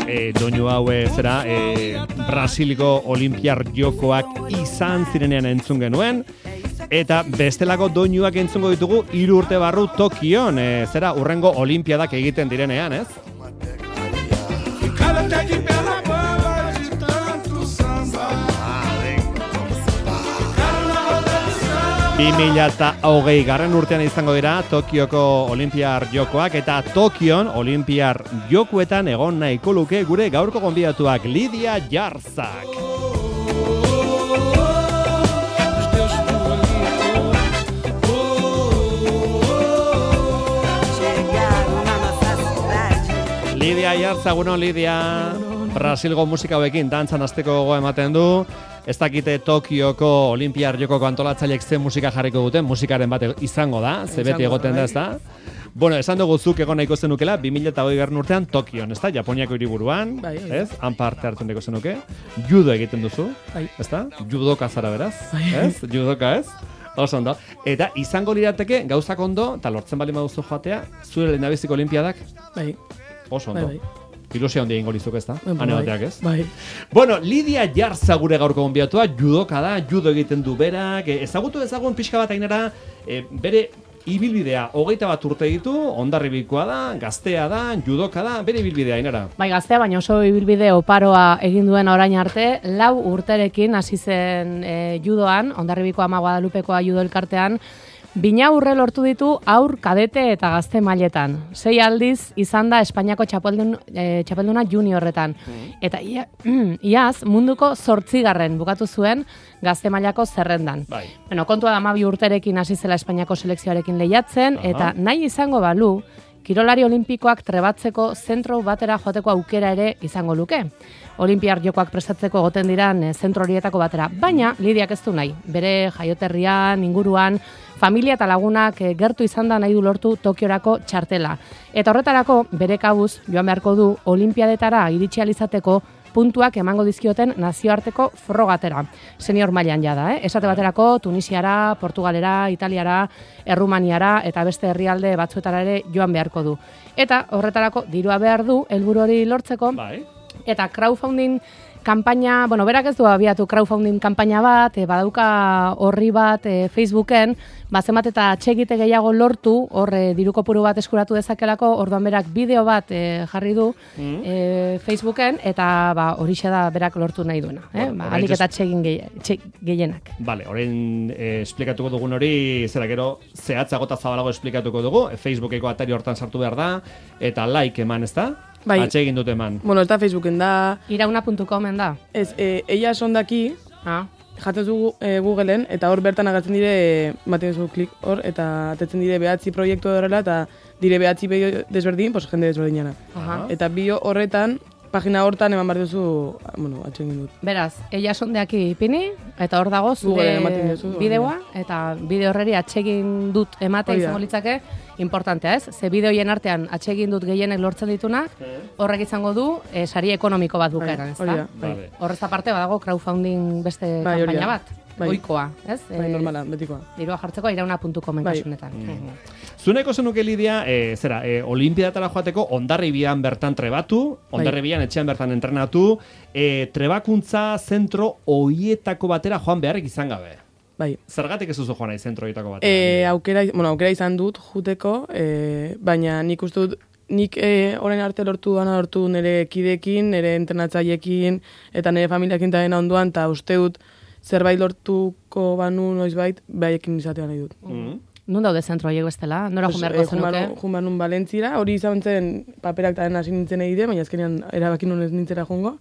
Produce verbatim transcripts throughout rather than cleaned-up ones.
e, doinu hau e, zera e, Brasiliko Olimpiar Jokoak izan zirenean entzun genuen, eta bestelako doinuak entzungo ditugu hiru urte barru Tokion, e, zera urrengo Olimpiadak egiten direnean, ez? bi mila hogei garren urtean izango dira Tokioko Olimpiar Jokoak, eta Tokion Olimpiar Jokoetan egon nahiko luke gure gaurko gonbidatuak, Lidia Jarzak. Lidia Jarzak, bueno, Lidia, Brasilgo musika hauekin dantzan hasteko gogoa ematen du. Ez dakite Tokioko Olimpiar Jokoko antolatzaileek ze musika jarriko duten, musikaren bat izango da, ze beti egoten da, ez da? Bueno, esan dugu zuk egon nahiko zenukela, bi mila hogei garren urtean Tokion, ez da? Japoniako hiriburuan, bai, ez? Han parte hartzen nahiko zenuke. Judo egiten duzu, bai. Ez da? Judoka zara beraz, bai. Ez? Judoka ez? Oso ondo. Eta izango lirateke gauzak ondo, eta lortzen bali maduzu joatea, zure lehendabiziko olimpiadak? Bai. Oso ondo. Bai, bai. Ilusia handia ingo lizuk, ez da? Bai, Hane bateak, ez? Bai. Bueno, Lidia Jarzak gure gaurko gonbidatua, judoka da, judo egiten du berak, ezagutu ezagun pixka bat ainera, e, bere ibilbidea, hogeita bat urte ditu, Hondarribikoa da, gaztea da, judoka da, bere ibilbidea ainera. Bai, gaztea, baina oso ibilbide oparoa egin duen orain arte, lau urterekin hasi zen e, judoan, Hondarribiko Ama Guadalupekoa judo elkartean, bina urre lortu ditu aur, kadete eta gazte mailetan. Sei aldiz izan da Espainiako txapeldun, e, txapelduna juniorretan. Eta ia, iaz munduko zortzigarren bukatu zuen gazte mailako zerrendan. Bai. Bueno, kontua da hamabi urterekin hasi zela Espainiako selekzioarekin lehiatzen, Aha. eta nahi izango balu, kirolari olimpikoak trebatzeko zentro batera joateko aukera ere izango luke. Olimpiar Jokoak prestatzeko egoten diran e, zentro horietako batera. Baina, Lidiak ez du nahi. Bere jaioterrian, inguruan, familia eta lagunak e, gertu izan da nahi du lortu Tokiorako txartela. Eta horretarako, bere kabuz, joan beharko du Olimpiadetara iritsi ahal izateko puntuak emango dizkioten nazioarteko frogatera. Senior mailan jada, eh? Esate baterako Tunisiara, Portugalera, Italiara, Errumaniara eta beste herrialde batzuetara ere joan beharko du. Eta horretarako dirua behar du helburu hori lortzeko. Bai. Eta crowdfunding kanpaina, bueno, berak ez du abiatu crowdfunding kanpaina bat, e, badauka horri bat e, Facebooken, bazemat eta atxegite gehiago lortu, hor e, diru kopuru bat eskuratu dezakelako, orduan berak bideo bat e, jarri du mm. e, Facebooken, eta ba, horixe da berak lortu nahi duena. Eh? Bueno, ba, alik eta atxegin gehienak. Vale, orain eh, esplikatuko dugun hori, zera gero, zehatzago eta zabalago esplikatuko dugu, e, Facebookeko atari hortan sartu behar da, eta like eman, ez da? Bai. Atsegin dut eman. Bueno, ez da Facebooken da. irauna puntu comen da. Ez, e, ella sondaki, Ah. jatzen zu e, Googleen, eta hor bertan agertzen dire, baten zu klik hor, eta atetzen dire behatzi proiektu horrela, eta dire behatzi bideo desberdin, pues jende desberdinana. Aha. Eta bio horretan, pagina hortan eman behar duzu, bueno, atsegin dut. Beraz, ella sondeaki ipini, eta hor dago Googleen zure ematen duzu, bideoa, eta bideo horreri atsegin dut emate Hori da. izango litzake, importantea ez? Ze bideoien artean atsegin dut gehienek lortzen ditunak, horrek izango du e, sari ekonomiko bat bukaeran, ez Hori da? da, bai. Vale. Horrez aparte badago crowdfunding beste Bai, hori kanpaina da. bat, Bai. ohikoa, ez? Bai, E, normala, betikoa. dirua jartzeko irauna puntu comen Bai. kasunetan. Zuneko zenuke, Lidia, e, zera, e, Olimpiadatara joateko Hondarribian bertan trebatu, Hondarribian etxean bertan entrenatu, e, trebakuntza zentro hoietako batera joan beharrik izan gabe. Bai. Zergatik ez duzu joan nahi zentro horietako batera? E, aukera, bueno, aukera izan dut juteko, e, baina nik uste dut, nik e, orain arte lortu dana lortu nire kidekin, nire entrenatzailekin, eta nire familiakin eta dena onduan, eta uste dut zerbait lortuko banu noizbait, behaiekin izatea nahi dut. Mm. Nun daude zentro horiek bestela? Nora Pues, joan beharko eh, joan zenuke? banu- joan banun Valentzira, hori izan zen paperak eta hasi nintzen egite, baina azkenean erabakin honez nintzera jongo.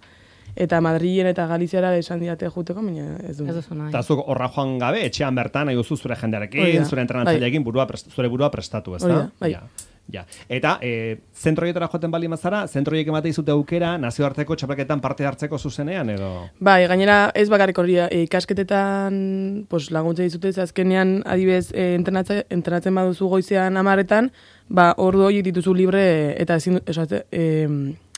Eta Madrilen eta Galiziara esan diate juteko, baina ez du. Ez duzu nahi. Eta zuk horra joan gabe, etxean bertan nahi duzu zure Hori jendearekin, da. zure entrenatzaileekin, burua prest, zure burua prestatu, ez da? Hori da, bai. Ja. Ja. Eta e, zentro horietara joaten bali mazara, zentro horiek emate izute aukera nazioarteko txapelketan parte hartzeko zuzenean, edo? Bai, gainera ez bakarrik hori, e, ikasketetan pues, laguntza dizute, ze azkenean adibez e, entrenatzen, entrenatzen baduzu goizean amaretan, ba, ordu horiek dituzu libre eta ezin, esate, e,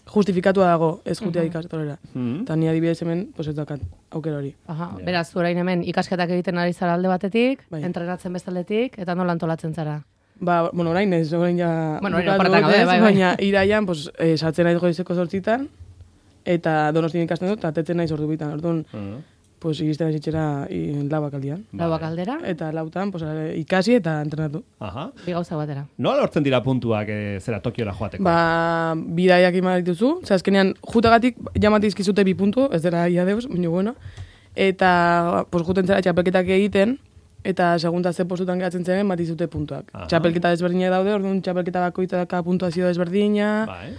justifikatua dago ez jutea Mhm. ikastorera. Mhm. Eta ni adibidez hemen, pues ez dakat aukera hori. Aha, Ja. beraz, orain hemen ikasketak egiten ari zara alde batetik, Bai. entrenatzen bestaldetik, eta nola antolatzen zara? Ba, bueno, orain ez, orain ja... Bueno, orain bukatu oporretan dut, gaude, ez, bai, bai. Baina iraian, pues, e, sartzen naiz goizeko zortzitan, eta Donostian ikasten dut, eta tetzen naiz ordu bitan, orduan, Uh-huh. pues, iristen naiz lauak aldian. Lauak aldera, Eta lautan, pues, ikasi eta entrenatu. Aha. bi gauza batera. Nola lortzen dira puntuak e, zera Tokiora joateko? Ba, bidaiak ima dituzu, ze azkenean, jutagatik jamatizkizute bi puntu, ez dira ia deus, baina bueno, eta, pues, juten zera txapelketak egiten, eta segunda ze postutan gehatzen zen, bat izute puntuak. Aha. Txapelketa desberdinak daude, orduan txapelketa bakoitzaka puntuazio desberdina, Bai.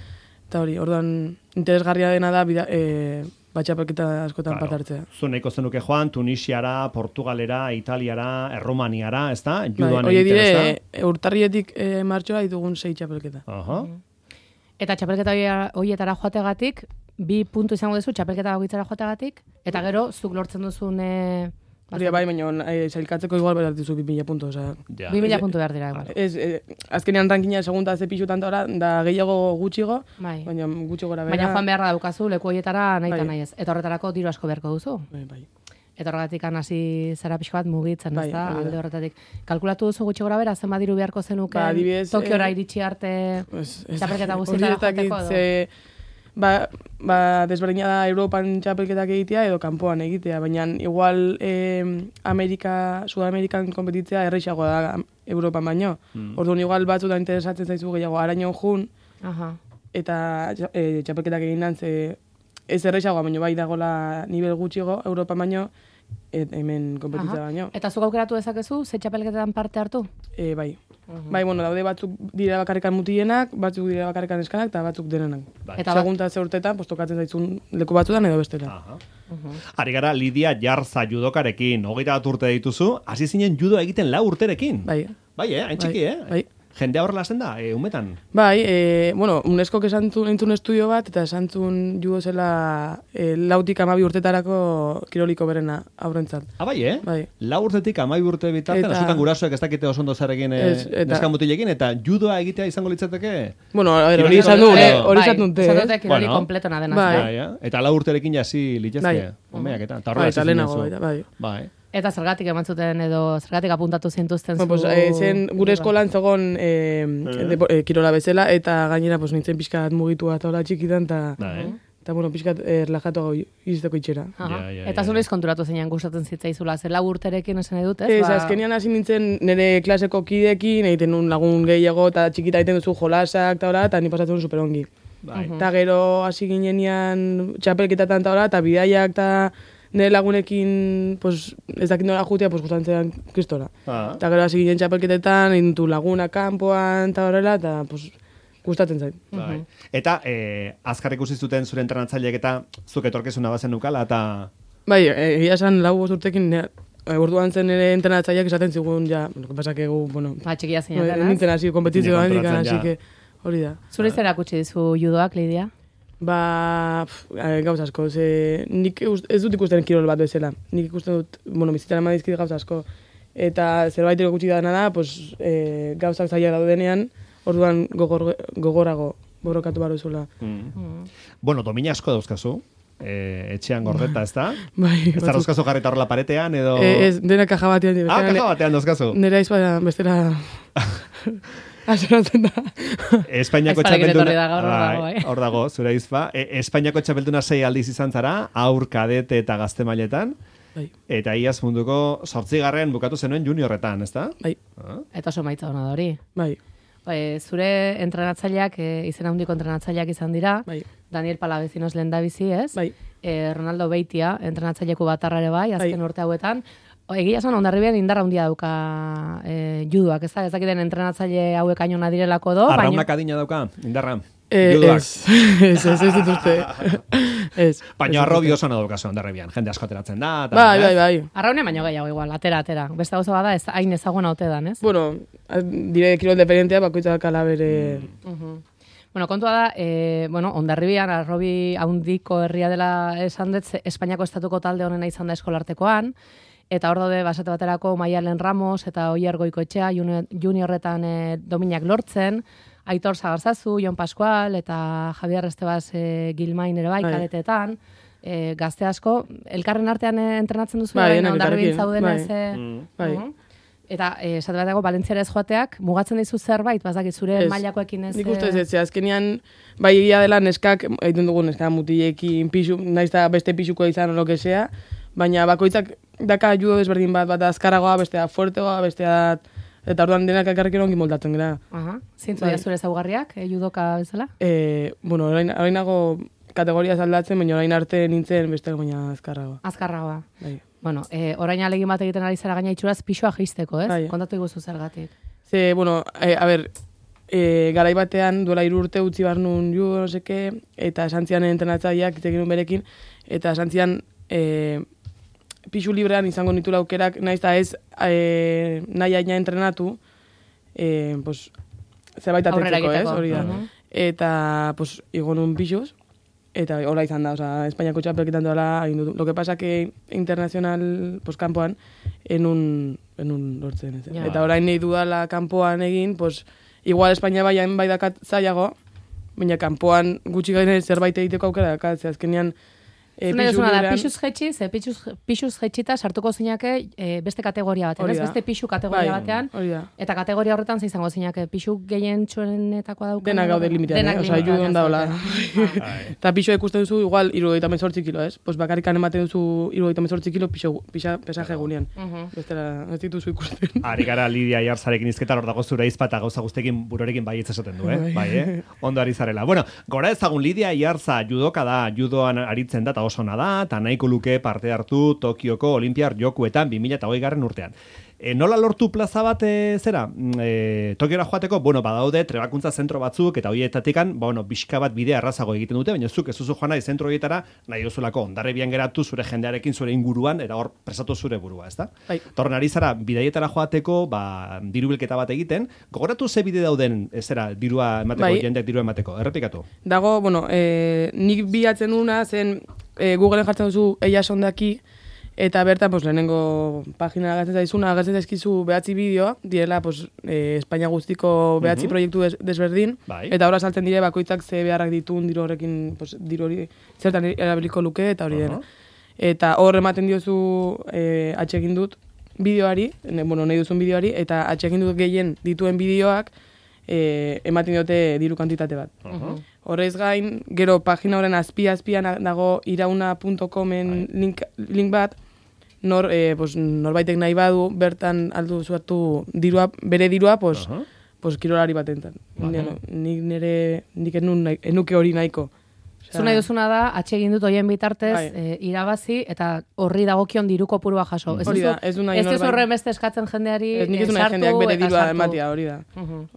eta hori, orduan interesgarria dena da, bida, e, bat txapelketa askotan Claro. parte hartzea. Zu nahiko zenuke joan, Tunisiara, Portugalera, Italiara, Erromaniara, ez da? Bai, Judoan hori egiten, ez dire, e, urtarrietik e, martxora ditugun sei txapelketa. da? Aha. Eta txapelketa hoia- hoietara joategatik, bi puntu izango duzu txapelketa bakoitzara joategatik, eta gero zuk lortzen duzun e, Hori bai, baina e, zailkatzeko igual behar dituzu bi mila puntu, osea. Ja. bi mila puntu behar dira. Igual. Ez, e, azkenean rankina segunda ze pixutan da, da gehiago gutxigo, Bai. baina gutxi gora bera. Baina joan beharra daukazu leku hoietara nahi eta Bai. nahi ez. Eta horretarako diru asko beharko duzu. Bai, bai. Eta horregatik hasi zara pixko bat mugitzen, Bai, ez da, hori da. alde horretatik. Kalkulatu duzu gutxi gora bera, zenbat diru beharko zenuke Ba, adibidez, Tokiora eh, iritsi arte Ez, ez, txapelketa hori guztietara ez dakit, joateko edo? ze, ba, ba, desberdina da Europan txapelketak egitea edo kanpoan egitea, baina igual eh, Amerika, Sudamerikan kompetitzea erreixagoa da Europan baino. Mm. Orduan igual batzutan interesatzen zaizu gehiago arañon jun, Aha. eta e, txapelketak egin dan, ze ez erreixagoa, baino bai dagola nivel gutxigo Europan baino, et, hemen kompetitzea Aha. baino. Eta zuk aukeratu dezakezu, ze txapelketetan parte hartu? E, bai. Bai, bueno, daude batzuk dira bakarrikan mutienak, batzuk dira bakarrikan eskanak, eta batzuk denenak. Bai. Eta bat- Segunta ze urtetan, pues, tokatzen zaizun leku batzutan edo bestela. Aha. Ari gara Lidia Jarza judokarekin, hogeita bat urte dituzu, hasi zinen judo egiten lau urterekin. Bai. Bai, eh? Hain txiki, Bai, eh? bai. Jendea horrela zen da, e, umetan. Bai, e, bueno, UNESCO esan zuen entzun estudio bat, eta esan zuen judo zela e, lautik amabi urtetarako kiroliko berena aurrentzat. Ah, bai, eh? Bai. Lau urtetik amai urte bitartean, Eta- askotan gurasoek ez dakite oso ondo zer egin e, Ez, eta- neska mutilekin, eta judoa egitea izango litzateke. Bueno, a ver, Kiroli hori esan du, kompleto. eh, hori Bai, esan dute, esan eh? dute kiroli Bueno. kompletona dena. Bai. ez da? Bai, eh? Eta lau urterekin jasi litzezke. Bai. Umeak eta, eta Bai, horrela eta hasi lehenago, zinen zu. baita, bai. Bai. Eta zergatik eman zuten edo zergatik apuntatu zintuzten zu... Bueno, pues, eh, zen gure eskolan zegoen eh, depo- eh, kirola bezala, eta gainera pues, nintzen pixka bat mugitu bat hola txikitan, eta Bai. eta bueno, pixka bat eh, relajatu iristeko itxera. Aha. Ja, ja, Eta ja, zu ja. noiz konturatu zeinan gustatzen zitzaizula, ze lau urterekin esan nahi dut, ez? Ez, Ba- azkenean hasi nintzen nire klaseko kidekin, egiten nun lagun gehiago, eta txikita egiten duzu jolasak, eta hola, eta ni pasatzen nun superongi. Bai. Eta gero hasi ginenean txapelketatan eta hola, eta bidaiak eta nire lagunekin, pues, ez dakit nola jutea, pues, gustatzen zean kristora. Ah. Eta gero hasi ginen txapelketetan, egin du laguna kanpoan, eta horrela, eta pues, gustatzen zait. Bai. Eta eh, azkar ikusi zuten zure entrenatzaileek eta zuk etorkizuna bazen nukala, eta Bai, e, egia esan lau bost urtekin, ne, e, orduan zen ere entrenatzaileak esaten zigun, ja, lo que pasa que gu, bueno, Ba, txikia no, zeinan, nintzen hasi kompetizioan, Ni así kontrolatzen, que hori da. Zure zer erakutsi dizu judoak, Lidia? Ba, pf, e, gauz asko, ze, nik ust- ez dut ikusten kirol bat bezala. Nik ikusten dut, bueno, bizitzan eman dizkit gauz asko. Eta zerbait erakutsi dana da, pues, e, gauzak zaila daudenean, orduan gogor, gogorago borrokatu baro zula. mm. bueno, domina asko dauzkazu, eh, etxean gordeta, ez da? Bai, Ez da dauzkazu jarrita horrela paretean, edo... E, ez, dena kaja batean. Ah, kaja batean dauzkazu. Nera aizpa bestera... Azeratzen da. Espainiako Aizparekin txapelduna... etorri da gaur, hor dago, Bai, bai. hor dago, zure izpa. E, Espainiako txapelduna sei aldiz izan zara, aur, kadete eta gazte mailetan, Bai, eta iaz munduko zortzigarren bukatu zenuen juniorretan, ez da? bai, Ah, Eta oso maitza hona da hori. bai, E, zure entrenatzaileak, e, izena handiko entrenatzaileak izan dira, bai, Daniel Palavecinos lehendabizi, ez? bai. E, Ronaldo Beitia, entrenatzaileku batarra ere bai, azken Bai. urte hauetan. O, Egia esan, Hondarribian indarra handia dauka e, juduak, ez da? Ez dakiten entrenatzaile hauek ainona direlako do, baina... Arraunak adina dauka, indarra. Eh, Judoak. ez, ez, ez, ez dituzte. ez. Baina arrobi oso nahi daukazu ondarrebian, jende asko ateratzen da. eta, Bai, ez? bai, bai. Arraune baino gehiago igual, atera, atera. Beste gauza bada, ez, hain ezaguna ote dan, ez? Bueno, a- dire kirol dependentea bakoitzak ala bere... Mhm. Bueno, kontua da, e, bueno, Hondarribian, arrobi handiko herria dela esan dut, ze Espainiako estatuko talde honena izan da eskolartekoan, eta hor daude basate baterako Maialen Ramos eta Oier Goikoetxea junior, juniorretan e, dominak lortzen, Aitor Zagarzazu, Jon Pascual eta Javier Estebas e, Gilmain ere bai, Bai. kadetetan, e, gazte asko, elkarren artean e, entrenatzen duzu, Bai, bai, denak Hondarribin elkarrekin, zauden bai. ez... e, Mm. Bai. mhm. Eta, esate bat dago, Valentziara ez joateak, mugatzen dizu zerbait, bazakit zure Ez. mailakoekin ez... Nik uste ez ez, azkenean, bai egia dela neskak, egiten dugu neska mutilekin pixu, naiz eta beste pixuko izan lo que sea, baina bakoitzak daka judo desberdin bat, bat azkarragoa, bestea fuertegoa, bestea... Eta orduan denak elkarrekin ongi moldatzen gara. Aha, zintzu Bai. dira zure zaugarriak, eh, judoka bezala? E, bueno, orain, orainago kategoria aldatzen, baina orain arte nintzen beste baina azkarragoa. Azkarragoa. Bai. Bueno, eh, orain alegin bat egiten ari zara gaina itxuraz pixua jeisteko, ez? Bai. Kontatu iguzu zergatik. Ze, bueno, e, a ber, e, garai batean duela hiru urte utzi bar nun judo, no seke, eta esan zian entrenatzaileak hitz egin nuen berekin, eta esan zian e, pixu librean izango nitula aukerak, naiz eta ez e, nahi aina entrenatu, e, pues, zerbait Aurrera atetzeko, ez, egiteko. hori da. Mhm. Eta, pues, igo nun pixuz, eta hola izan da, oza, Espainiako txapelketan doala egin dut. Lo que pasa que internacional, pues, kanpoan, enun, enun lortzen, ez. Ja. Eta orain nahi dudala kanpoan egin, pues, igual Espainia baian bai dakat zailago, baina kanpoan gutxi gaine zerbait egiteko aukera dakat, ze azkenean, E, Zuna duzuna da, librean- pixuz jetxi, ze pixuz, pixuz jetxita sartuko zinake e, beste kategoria batean, Hori ez? da. Beste pixu kategoria Bai, batean, hori da. eta kategoria horretan ze izango zinake, pixu gehien txuenetakoa daukan. Denak gaude limitean, Denak eh? Osa, limitean judo da hola. zaudete. Eta pixo ikusten duzu, igual, irurogeita hemezortzi kilo, ez? Pues bakarrikan ematen duzu irurogeita hemezortzi kilo pixo, pixa, pesaje egunean. Mhm. Bestela, ez dituzu ikusten. Ari gara Lidia Iarzarekin izketan hor dago zure izpa eta gauza guztekin burorekin baietz esaten du, eh? Bai, eh? Ondo ari zarela. Bueno, gora ezagun Lidia Iarza judoka da, judoan aritzen da, eta oso ona da, eta nahiko luke parte hartu Tokioko Olimpiar Jokuetan bi mila hogei garren urtean. E, nola lortu plaza bat e, zera? E, Tokiora joateko, bueno, badaude trebakuntza zentro batzuk eta horietatikan, bueno, bizka bat bidea errazago egiten dute, baina zuk ez duzu joan nahi zentro horietara, nahi duzulako ondarribian geratu zure jendearekin zure inguruan, eta hor presatu zure burua, ezta? Bai. Torren ari zara, bidaietara joateko, ba, diru bilketa bat egiten, gogoratu ze bide dauden, ez zera, dirua emateko, Bai. jendeak dirua emateko, errepikatu. Dago, bueno, e, nik bilatzen una zen e, Googleen jartzen duzu eia sondaki, eta bertan, pues, lehenengo pagina agertzen zaizuna, agertzen zaizkizu behatzi bideo, direla, pues, e, Espainia guztiko behatzi Mhm. proiektu des, desberdin, Bai. eta horra saltzen dire bakoitzak ze beharrak ditun diru horrekin, pues, diru hori zertan erabiliko luke, eta hori Aha. dena. Eta hor ematen diozu e, atxegin dut bideoari, ne, bueno, nahi duzun bideoari, eta atxegin dut gehien dituen bideoak e, ematen diote diru kantitate bat. Aha. Horrez gain, gero pagina horren azpi-azpian dago irauna puntu comen link, link bat, nor, e, pues, norbaitek nahi badu, bertan aldu zuartu dirua, bere dirua, pues, Aha. pues, kirolari batentan. Vale. Bueno, nik nire, nik enun, nahi- enuke hori nahiko. Osea, Zu nahi duzuna da, atsegin dut hoien bitartez, Bai. e, irabazi, eta horri dagokion diru kopurua jaso. Ez Hori da, duzu- ez du nahi ez duzu norbait- horren beste eskatzen jendeari Ez nik ez eh, du nahi sartu jendeak bere eta dirua sartu. ematia, hori da. Mhm.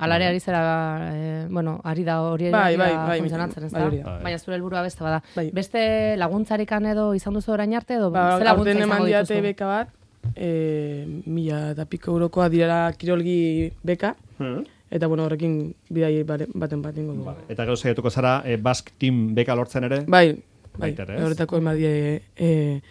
Alare ari zera, eh, bueno, ari da hori Bai, ari bai, da bai, funtzionatzen, ez bai, da? hori da. Baina zure helburua beste bada. Bai. Beste laguntzarikan edo izan duzu orain arte, edo Ba, ze laguntza aurten izango eman diate dituzu? beka bat, e, mila eta piko eurokoa direla kirolgi beka, Mhm. eta bueno, horrekin bidai bare- baten bat ingo dugu. Eta gero saiatuko zara, e, Basque Team beka lortzen ere? Bai, bai, Baita ere, ez? horretako emadie e,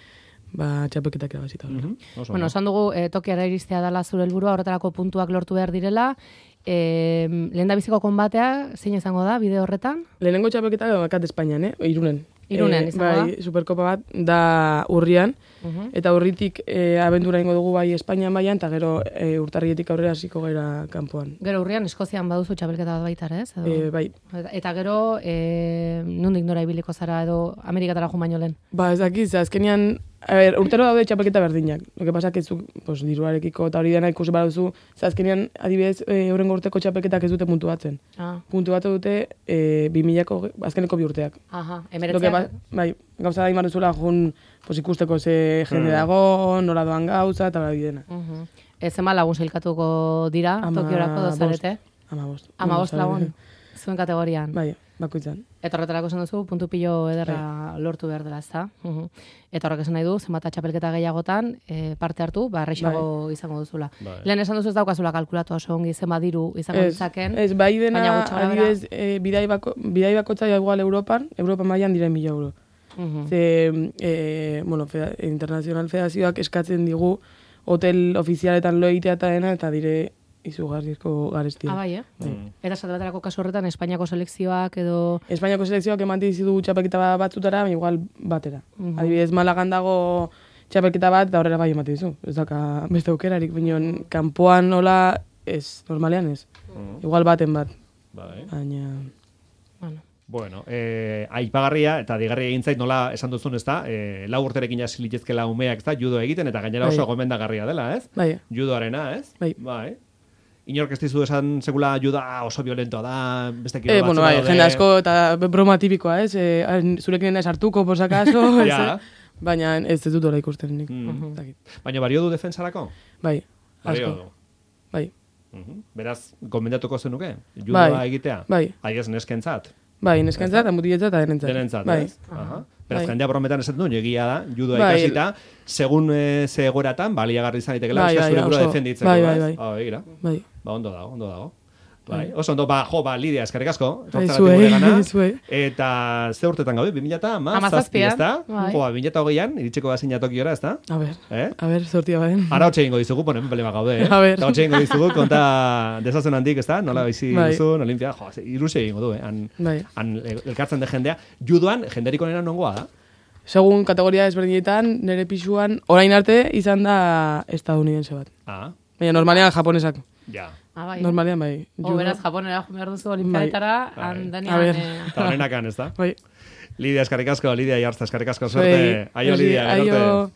ba, txapelketak irabazita. Mhm. Oso Bueno, ondo. esan dugu, e, Tokiara iristea dela zure helburua, horretarako puntuak lortu behar direla. E, lehen da biziko konbatea, zein izango da, bide horretan? Lehenengo txapelketak bakat Espainian, eh? Irunen. Irunen Eh, izango bai, Superkopa bat da urrian, Mhm. eta urritik e, abendura ingo dugu bai Espainian baian, eta gero e, urtarrietik aurrera hasiko gara kanpoan. Gero urrian, Eskozian baduzu txapelketa bat baita, ere, ez? Edo? E, bai, Eta, eta gero, e, nondik nora ibiliko zara edo Amerikatara jo baino lehen? ba ez dakit, ze azkenean, a ber, urtero daude txapelketa berdinak. Lo que pasa que zu, pues, diruarekiko eta hori dena ikusi baduzu, ze azkenean, adibidez, e, hurrengo urteko txapelketak ez dute puntu batzen. Ah, Puntu batu dute e, bi milako azkeneko bi urteak. aha, Lo que emeretzeak. ba, bai, gauza da imar duzula jun, pues, ikusteko ze jende dago, nola doan gauza, eta hori dena. Mhm. Ez ema lagun sailkatuko dira, Tokiorako dozarete? Ama bost. Ama bost lagun, zuen kategorian. Bai, bakoitzan. Eta horretarako esan duzu, puntu pilo ederra lortu behar dela, ezta? Mhm. Eta horrek esan nahi du, zenbat txapelketa gehiagotan e, parte hartu, ba, erreixago izango duzula. Bai. Lehen esan duzu ez daukazula kalkulatu oso ongi zenbat diru izango Ez, ditzaken. ez, bai dena, baina gutxi gora bera. adibidez, e, bidai, bako, bidai bakotza igual Europan, Europan mailan diren mila euro. Mhm. Ze, e, bueno, feda, internazional fedazioak eskatzen digu hotel ofizialetan lo egitea eta dena, eta dire izugarrizko garestia. Ah, bai, eh? Mm. Eta esate baterako kasu horretan, Espainiako selekzioak edo... Espainiako selekzioak eman dizu txapelketa batzutara, baina igual batera. Mhm. Adibidez, Malagan dago txapelketa bat, eta horrela bai ematen dizu. Ez daka beste aukerarik, bineon, kanpoan nola, ez, normalean ez. Mm. Igual baten bat. Bai. Baina... Bueno. Bueno, eh, aipagarria eta digarria egin zait nola esan duzun, ez da? Eh, lau urterekin hasi litezkela umeak, ez da? Judo egiten eta gainera oso Bai. gomendagarria dela, ez? Bai. Judoarena, ez? Bai. Bai. Inork ez dizu esan sekula juda oso violentoa da, beste kilo Eh, batzuk bueno, bai, daude. jende asko eta broma tipikoa, ez? Eh, hain zurekin ez hartuko, posakaso, ez? Ja. Baina ez ez dut hori ikusten nik. Mm. Ez dakit. Baina bario du defensarako? Bai, Bario asko. du. Bai, Mhm. Beraz, gomendatuko zenuke? Judoa Bai. egitea? bai. Aiez neskentzat? Bai, neskentzat, eta mutiletzat, eta denentzat. Denentzat, Bai. ez? Aha. Beraz, Bai. jendea brometan esaten du, egia da, judoa Bai. ikasita, segun e, ze egoeratan, baliagarri izan itekela, Bai, euskal bai, zure burua oso. defenditzeko, Bai, bai, ez? bai. Ah, begira. Bai. Ba, ondo dago, ondo dago. Bai, oso ondo, ba, jo, ba, Lidia, eskerrik asko. Bai, etortzagatik zuei, guregana. zuei. Eta ze urtetan gaude, bi mila eta Hamazazpian, ez da? bai. Jo, ba, bi mila eta hogeian, iritsiko bazina tokiora, ez da? A ber, Eh? a ber, sortia baden. Ara hotxe egingo dizugu, ponen pelema gaude, eh? A ber. Eta hotxe egingo dizugu, konta desazen handik, ez da? Nola bizi Bai. duzun, Olimpia, jo, irusia egingo du, eh? Han, Bai. han elkartzen de jendea. Judoan, jenderik onena nongoa da? Segun kategoria ezberdinetan, nire pisuan, orain arte izan da estadounidense bat. Ah, Baina normalean japonesak. ja. Ah, bai. Normalean bai. O, beraz, Japonera jo behar duzu olimpiadetara, Bai. han A denean... ber. eh, Eta honenakan, ez da? Bai. Lidia, eskarrik asko, Lidia Iartza, eskerrik asko, Zuei. suerte. Aio, Besi, Lidia, gero arte. aio.